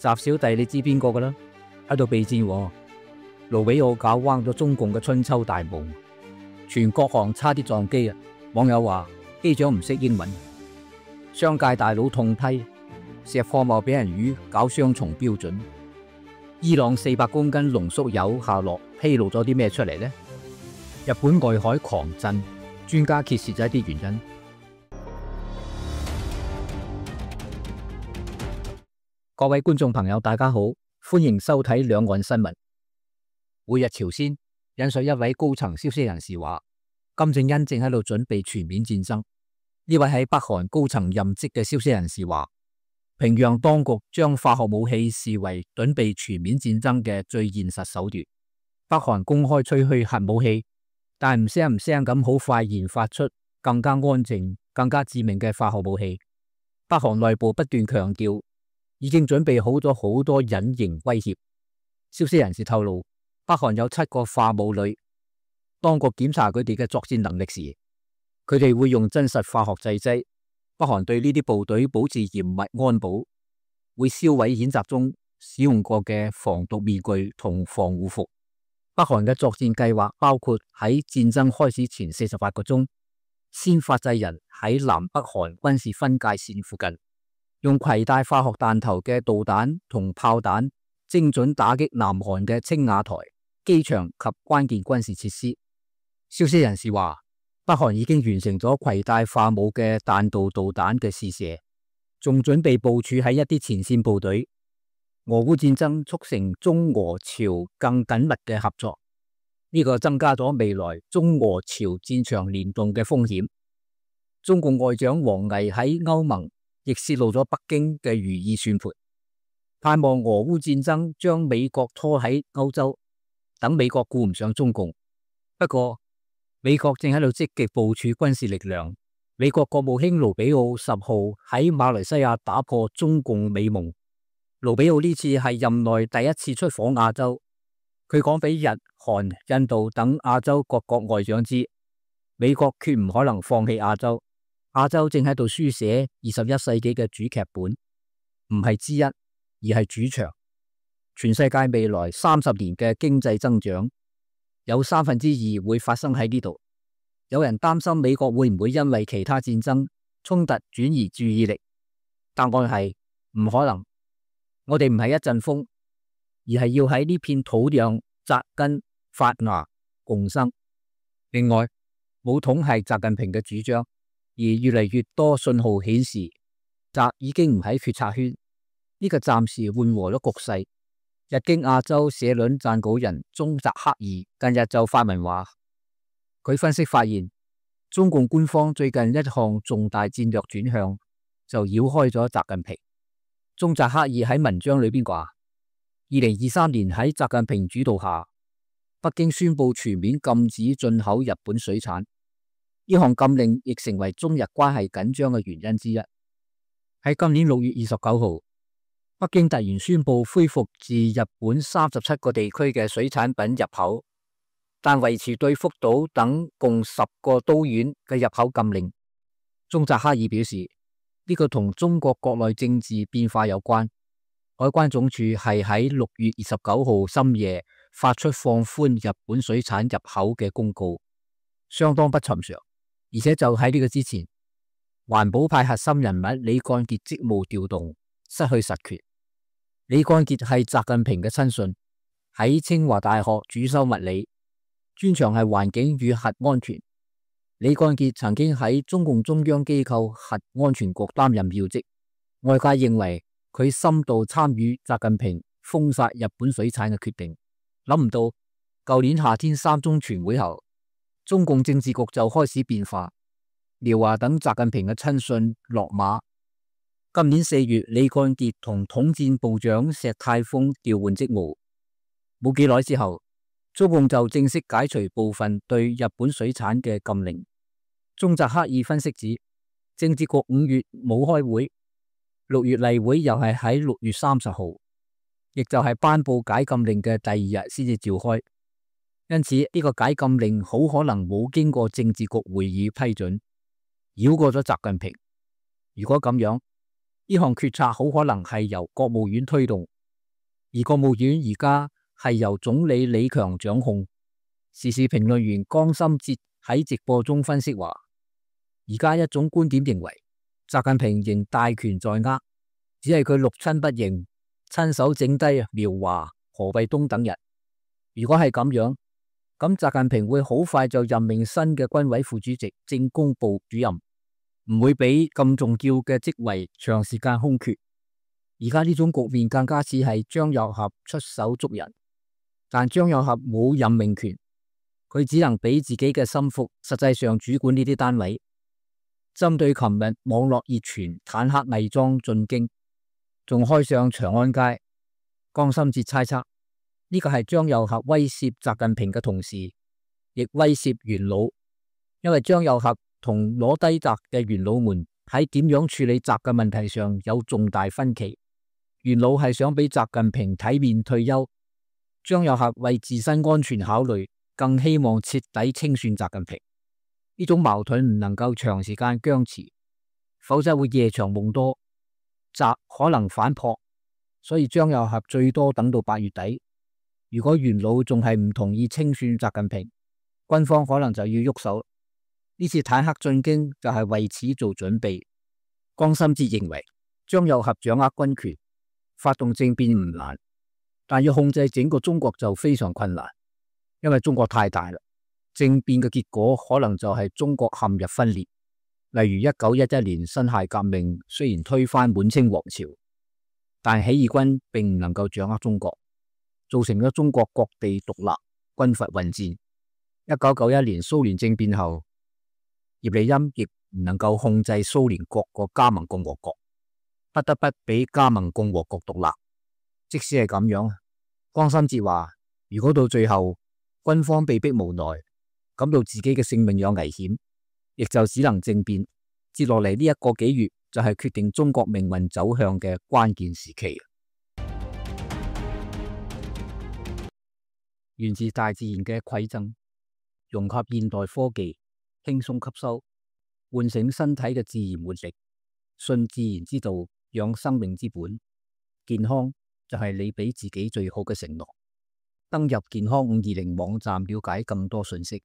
習小弟你知邊個噶啦？喺度備戰喎。盧比奧搞彎咗中共嘅春秋大夢，全國航差啲撞機啊！網友話機長唔識英文。商界大佬痛批石貨貿俾人魚搞雙重標準。伊朗400公斤濃縮鈾下落披露咗啲咩出嚟呢？日本外海狂震，專家揭示咗一啲原因。各位觀眾朋友，大家好，歡迎收睇兩岸新聞。每日朝鮮引述一位高層消息人士話，金正恩正喺度準備全面戰爭。呢位喺北韓高層任職嘅消息人士話，平壤當局將化學武器視為準備全面戰爭嘅最現實手段。北韓公開吹噓核武器，但唔聲咁好快研發出更加安靜、更加致命嘅化學武器。北韓內部不斷強調，已經準備好咗好多隱形威脅。消息人士透露，北韓有7個化武旅，當局檢查佢哋嘅作戰能力時，佢哋會用真實化學製劑。北韓對呢啲部隊保持嚴密安保，會銷毀演習中使用過嘅防毒面具同防護服。北韓嘅作戰計劃包括喺戰爭開始前48個鐘，先發制人喺南北韓軍事分界線附近，用攜帶化學彈頭嘅導彈同炮彈精準打擊南韓嘅青瓦台、機場及關鍵軍事設施。消息人士話，北韓已經完成咗攜帶化武嘅彈道導彈嘅試射，仲準備部署喺一啲前線部隊。俄烏戰爭促成中俄朝更緊密嘅合作，呢個增加咗未來中俄朝戰場聯動嘅風險。中共外長王毅喺歐盟亦泄露咗北京嘅如意算盤，盼望俄烏戰爭將美國拖喺歐洲，等美國顧唔上中共。不過，美國正喺度積極部署軍事力量。美國國務卿盧比奧10號喺馬來西亞打破中共美夢。盧比奧呢次係任內第一次出訪亞洲，佢講俾日、韓、印度等亞洲各國外長知，美國決唔可能放棄亞洲。亞洲正喺度書寫21世紀嘅主劇本，唔係之一，而係主場。全世界未來30年嘅經濟增長，有2/3會發生喺呢度。有人擔心美國會唔會因為其他戰爭衝突轉移注意力？答案係唔可能。我哋唔係一陣風，而係要喺呢片土壤扎根發芽共生。另外，武統係習近平嘅主張，而越嚟越多信號顯示，習已經唔喺決策圈。呢個暫時緩和咗局勢。日經亞洲社論撰稿人中澤克二近日就發文話，佢分析發現，中共官方最近一項重大戰略轉向就繞開咗習近平。中澤克二喺文章裏邊話，2023年喺習近平主導下，北京宣布全面禁止進口日本水產，呢項禁令亦成為中日關係緊張嘅原因之一。喺今年6月29號，北京突然宣布恢復自日本37個地區嘅水產品入口，但維持對福島等共10個都縣嘅入口禁令。中澤克二表示，呢個同中國國內政治變化有關。海關總署係喺6月29號深夜發出放寬日本水產入口嘅公告，相當不尋常。而且就喺呢個之前，環保派核心人物李幹傑職務調動，失去實權。李幹傑係習近平嘅親信，喺清華大學主修物理，專長係環境與核安全。李幹傑曾經喺中共中央機構核安全局擔任要職，外界認為佢深度參與習近平封殺日本水產嘅決定。諗唔到，舊年夏天3中全會後，中共政治局就開始變化，廖華等習近平嘅親信落馬。今年4月，李幹傑同統戰部長石泰峰調換職務，冇幾耐之後，中共就正式解除部分對日本水產嘅禁令。中澤克二分析指，政治局5月冇開會，6月例會又係喺6月30號，亦就係頒布解禁令嘅第2日先至召開。因此呢個解禁令好可能冇經過政治局會議批准，繞過咗習近平。如果咁樣，呢項決策好可能係由國務院推動，而國務院而家係由總理李強掌控。時事評論員江心哲喺直播中分析話，而家一種觀點認為，習近平仍大權在握，只係佢六親不認，親手整低苗華、何衛東等人。如果係咁樣，咁習近平會好快就任命新嘅軍委副主席、政工部主任，唔會俾咁重要嘅職位長時間空缺。而家呢種局面更加似係張又俠出手捉人，但張又俠冇任命權，佢只能俾自己嘅心腹實際上主管呢啲單位。針對琴日網絡熱傳坦克偽裝進京，仲開上長安街，江心哲猜測呢個係張又俠威懾習近平嘅同時，亦威懾元老，因為張又俠同攞低習嘅元老們喺點樣處理習嘅問題上有重大分歧。元老係想俾習近平體面退休，張又俠為自身安全考慮，更希望徹底清算習近平。呢種矛盾唔能夠長時間僵持，否則會夜長夢多，習可能反撲。所以張又俠最多等到8月底。如果元老仲係唔同意清算習近平，軍方可能就要喐手。呢次坦克進京就係為此做準備。江心哲認為，張又俠掌握軍權，發動政變唔難，但要控制整個中國就非常困難，因為中國太大啦。政變嘅結果可能就係中國陷入分裂。例如1911年辛亥革命雖然推翻滿清王朝，但起義軍並唔能夠掌握中國，造成咗中國各地獨立，軍閥混戰。1991年蘇聯政變後，葉利欽亦唔能夠控制蘇聯各個加盟共和國，不得不俾加盟共和國獨立。即使係咁樣，江心哲話，如果到最後軍方被逼無奈，感到自己嘅性命有危險，亦就只能政變。接落嚟呢一個幾月就係決定中國命運走向嘅關鍵時期。源自大自然嘅饋贈，融合現代科技，輕鬆吸收，喚醒身體嘅自然活力，信自然之道，養生命之本。健康就係你俾自己最好嘅承諾。登入健康520網站了解更多信息。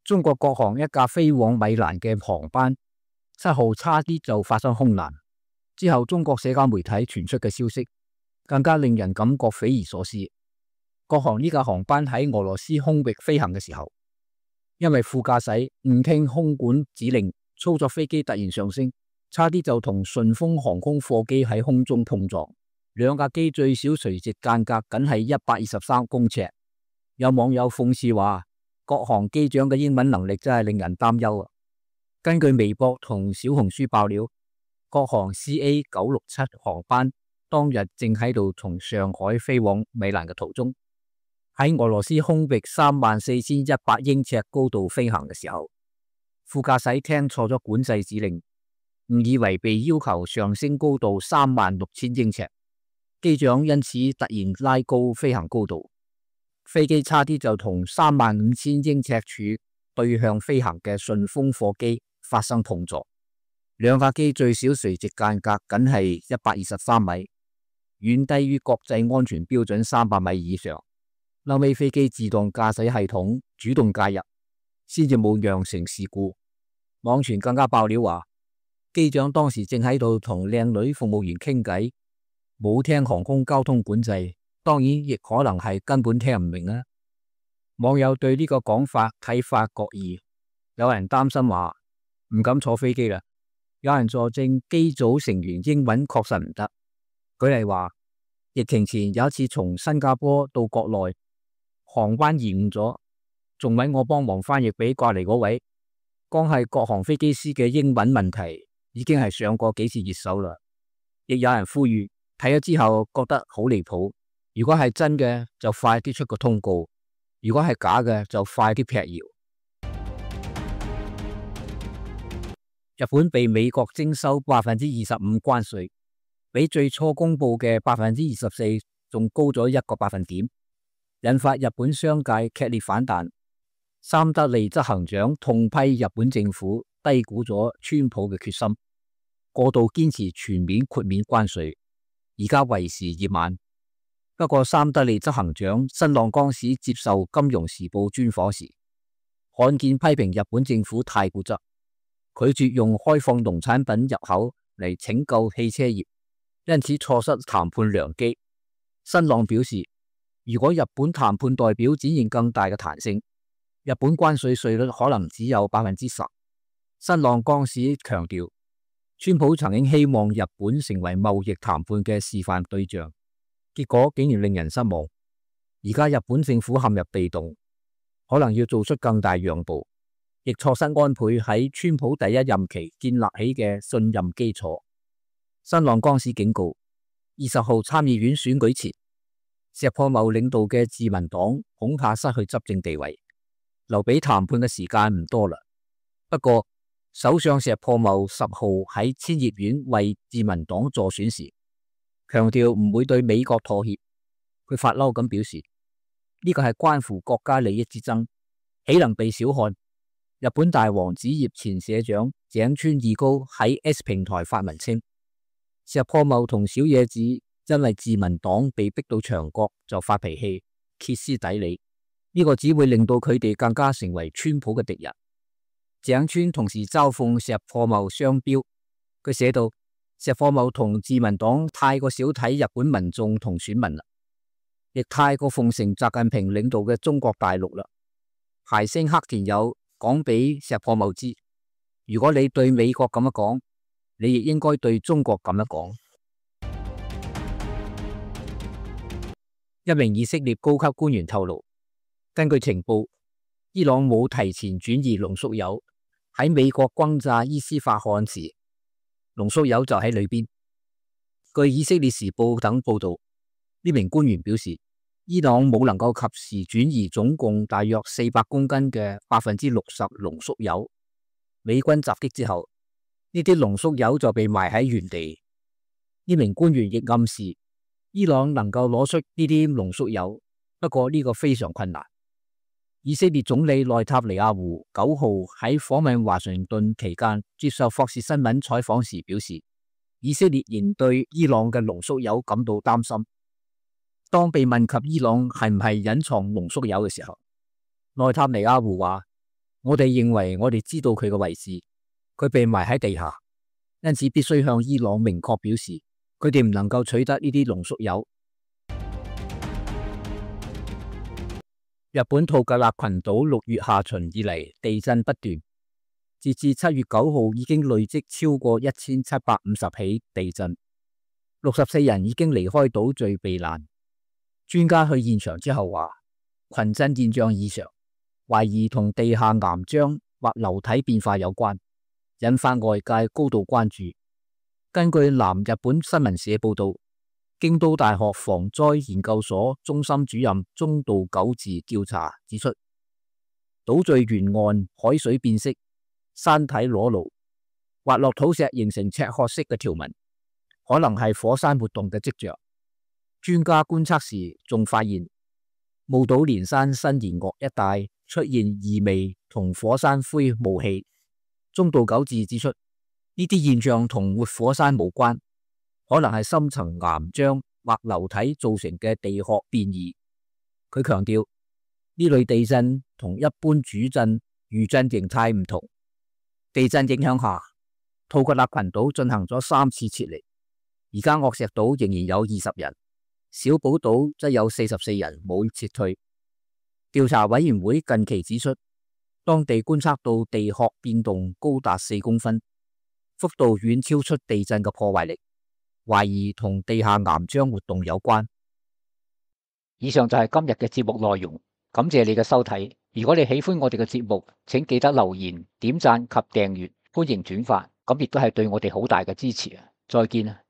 中國國航一架飛往米蘭嘅航班7號差啲就發生空難，之後中國社交媒體傳出嘅消息更加令人感覺匪夷所思。國航呢架航班喺俄羅斯空域飛行嘅時候，因為副駕駛誤聽空管指令，操作飛機突然上升，差啲就同順豐航空貨機喺空中碰撞。兩架機最少垂直間隔僅係123公尺。有網友諷刺話，國航機長嘅英文能力真係令人擔憂啊！根據微博同小紅書爆料，國航 CA967 航班當日正喺度從上海飛往米蘭嘅途中，喺俄羅斯空域34100英尺高度飛行嘅時候，副駕駛聽錯咗管制指令，誤以為被要求上升高度36000英尺，機長因此突然拉高飛行高度，飛機差啲就同35000英尺處對向飛行嘅順豐貨機發生碰撞。兩架機最少垂直間隔僅係123米，遠低於國際安全標準300米以上。後尾飛機自動駕駛系統主動介入，先至冇釀成事故。網傳更加爆料話，機長當時正喺度同靚女服務員傾偈，冇聽航空交通管制，當然亦可能係根本聽唔明啦。網友對呢個講法睇法各異，有人擔心話唔敢坐飛機啦，有人佐證機組成員英文確實唔得。舉例話，疫情前有一次從新加坡到國內，航班延誤咗，仲搵我幫忙翻譯俾隔籬嗰位。光係國航飛機師嘅英文問題已經係上過幾次熱搜啦。亦有人呼籲睇咗之後覺得好離譜，如果係真嘅就快啲出個通告，如果係假嘅就快啲闢謠。日本被美國徵收25%關稅，比最初公布嘅24%仲高咗1個百分點，引發日本商界劇烈反彈。三得利執行長痛批日本政府低估咗川普嘅決心。過度堅持全面豁免關稅，而家為時已晚。不過三得利執行長新浪江史接受《金融時報》專訪時，罕見批評日本政府太固執，拒絕用開放農產品入口嚟拯救汽車業，因此錯失談判良機。新浪表示，如果日本談判代表展現更大嘅彈性，日本關稅稅率可能只有10%。新浪江史強調，川普曾經希望日本成為貿易談判嘅示範對象，結果竟然令人失望。而家日本政府陷入被動，可能要做出更大讓步，亦錯失安倍喺川普第一任期建立起嘅信任基礎。新浪江史警告，20號參議院選舉前，石破茂領導嘅自民黨恐怕失去執政地位，留俾談判嘅時間唔多啦。不過，首相石破茂10號喺千葉縣為自民黨助選時，強調唔會對美國妥協。佢發嬲咁表示，呢個係關乎國家利益之爭，豈能被小看？日本大和紙業前社長井川義高喺 S 平台發文稱，石破茂同小野子因為自民黨被逼到牆角就發脾氣，歇斯底里，呢個只會令到佢哋更加成為川普嘅敵人。井川同時嘲諷石破茂雙標，佢寫道：石破茂同自民黨太過少睇日本民眾同選民啦，亦太過奉承習近平領導嘅中國大陸啦。諧星黑田有講俾石破茂知，如果你對美國咁樣講，你亦應該對中國咁樣講。一名以色列高級官員透露，根據情報，伊朗冇提前轉移濃縮鈾，喺美國轟炸伊斯法罕時，濃縮鈾就喺裏邊。據以色列時報等報道，呢名官員表示，伊朗冇能夠及時轉移總共大約400公斤嘅60%濃縮鈾。美軍襲擊之後，呢啲濃縮鈾就被埋喺原地。呢名官員亦暗示，伊朗能夠攞出呢啲濃縮鈾，不過呢個非常困難。以色列總理內塔尼亞胡9號喺訪問華盛頓期間接受霍士新聞採訪時表示，以色列仍對伊朗嘅濃縮鈾感到擔心。當被問及伊朗係唔係隱藏濃縮鈾嘅時候，內塔尼亞胡話：我哋認為我哋知道佢嘅位置，佢被埋喺地下，因此必須向伊朗明確表示，佢哋唔能夠取得呢啲濃縮鈾。日本吐格納群島6月下旬以嚟地震不斷，截至7月9號已經累積超過1750起地震，64人已經離開島嶼避難。專家去現場之後話，群震現象異常，懷疑同地下岩漿或流體變化有關，引發外界高度關注。根據南日本新聞社報道，京都大學防災研究所中心主任中道久治調查指出，島嶼沿岸海水變色，山體裸露，滑落土石形成赤褐色嘅條紋，可能係火山活動嘅跡象。專家觀測時仲發現，霧島連山新言岳一帶出現異味同火山灰霧氣。中道久治指出，呢啲現象同活火山無關，可能係深層岩漿或流體造成嘅地殼變異。佢強調，呢類地震同一般主震餘震形態唔同。地震影響下，吐格納群島進行咗3次撤離，而家岳石島仍然有20人，小寶島則有44人冇撤退。調查委員會近期指出，當地觀測到地殼變動高達4公分，幅度遠超出地震嘅破壞力，懷疑同地下岩漿活動有關。以上就係今日嘅節目內容，感謝你嘅收睇。如果你喜歡我哋嘅節目，請記得留言、點讚及訂閱，歡迎轉發，咁亦都係對我哋好大嘅支持啊！再見啊！